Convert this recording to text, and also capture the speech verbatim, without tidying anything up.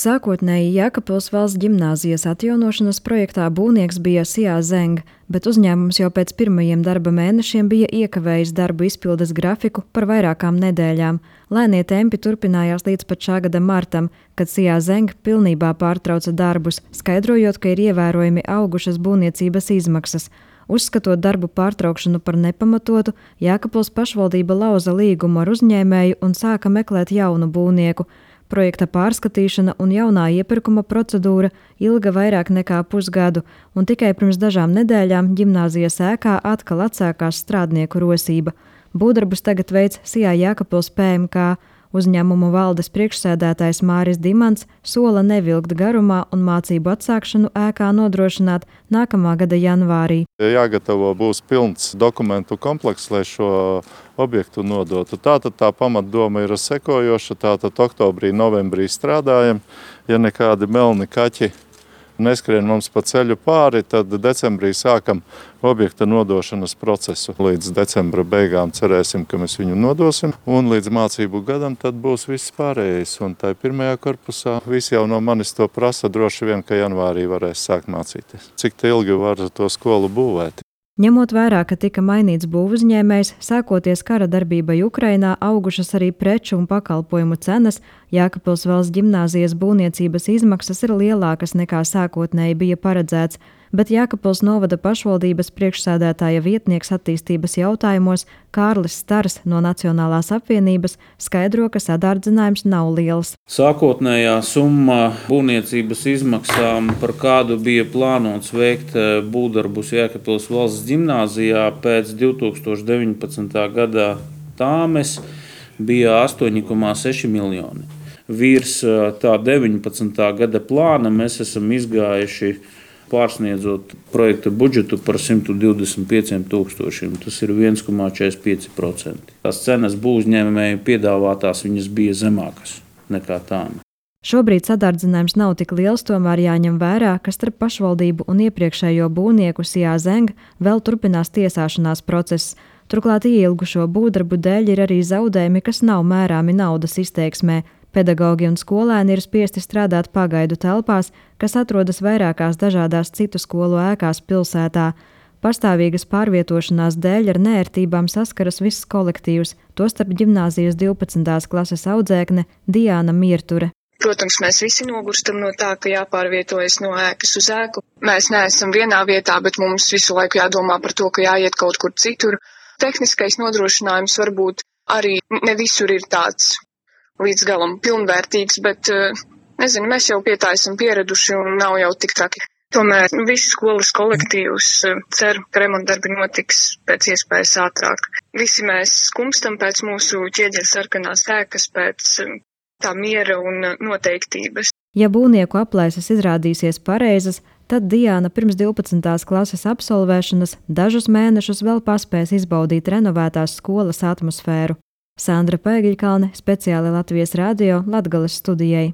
Sākotnēji Jēkabpils valsts ģimnāzijas atjaunošanas projektā būvnieks bija Sijā Zeng, bet uzņēmums jau pēc pirmajiem darba mēnešiem bija iekavējis darbu izpildes grafiku par vairākām nedēļām. Lēnie tempi turpinājās līdz pat šā gada martam, kad Sijā Zeng pilnībā pārtrauca darbus, skaidrojot, ka ir ievērojami augušas būvniecības izmaksas. Uzskatot darbu pārtraukšanu par nepamatotu, Jēkabpils pašvaldība lauza līgumu ar uzņēmēju un sāka meklēt jaunu būvnieku. Projekta pārskatīšana un jaunā iepirkuma procedūra ilga vairāk nekā pusgadu, un tikai pirms dažām nedēļām ģimnāzijas ēkā atkal atsākās strādnieku rosība. Būvdarbus tagad veic Sijā Jēkabpils P M K. Uzņēmumu valdes priekšsēdētājs Māris Dimants sola nevilkt garumā un mācību atsākšanu ēkā nodrošināt nākamā gada janvārī. Jāgatavo būs pilns dokumentu komplekss, lai šo objektu nodotu. Tātad tā pamatdoma ir sekojoša, tātad oktobrī, novembrī strādājam, ja nekādi melni kaķi neskrien mums pa ceļu pāri, tad decembrī sākam objekta nodošanas procesu. Līdz decembra beigām cerēsim, ka mēs viņu nodosim, un līdz mācību gadam tad būs viss pārējais. Un tai pirmajā korpusā visi jau no manis to prasa, droši vien, ka janvārī varēs sākt mācīties. Cik ilgi var to skolu būvēt? Ņemot vērā, ka tika mainīts būvuzņēmējs, sākoties kara darbībai Ukrainā, augušas arī preču un pakalpojumu cenas, Jēkabpils valsts ģimnāzijas būvniecības izmaksas ir lielākas nekā sākotnēji bija paredzēts, bet Jēkabpils novada pašvaldības priekšsēdētāja vietnieks attīstības jautājumos Kārlis Stars no Nacionālās apvienības skaidro, ka sadārdzinājums nav liels. Sākotnējā summa būvniecības izmaksām, par kādu bija plānots veikt būvdarbus Jēkabpils valsts ģimnāzijā pēc divi tūkstoši deviņpadsmitā gada tāmes, bija astoņi komā seši miljoni. Virs tā deviņpadsmitā gada plāna mēs esam izgājuši pārsniedzot projekta budžetu par simt divdesmit pieciem tūkstošiem. Tas ir viens komā četrdesmit pieci procenti. Tās cenas būvuzņēmēju piedāvātās viņas bija zemākas nekā tām. Šobrīd sadārdzinājums nav tik liels, tomēr jāņem vērā, ka starp pašvaldību un iepriekšējo būvnieku Sijā Zeng vēl turpinās tiesāšanās process. Turklāt ieilgušo būvdarbu dēļ ir arī zaudējumi, kas nav mērāmi naudas izteiksmē. Pedagogi un skolēni ir spiesti strādāt pagaidu telpās, kas atrodas vairākās dažādās citu skolu ēkās pilsētā. Pastāvīgas pārvietošanās dēļ ar neērtībām saskaras viss kolektīvs, tostarp ģimnāzijas divpadsmitās klases audzēkne Diāna Mierture. Protams, mēs visi nogurstam no tā, ka jāpārvietojas no ēkas uz ēku. Mēs neesam vienā vietā, bet mums visu laiku jādomā par to, ka jāiet kaut kur citur. Tehniskais nodrošinājums varbūt arī ne visur ir tāds līdz galam pilnvērtīgs, bet, nezinu, mēs jau pie tā esam pieraduši un nav jau tik traki. Tomēr visi skolas kolektīvs cer, ka remontdarbi notiks pēc iespējas ātrāk. Visi mēs skumstam pēc mūsu ķieģeļa sarkanās ēkas, pēc tā miera un noteiktības. Ja būvnieku aplēses izrādīsies pareizas, tad Diāna pirms divpadsmitās klases absolvēšanas dažus mēnešus vēl paspēs izbaudīt renovētās skolas atmosfēru. Sandra Pēgiļkalne, speciāli Latvijas radio Latgales studijai.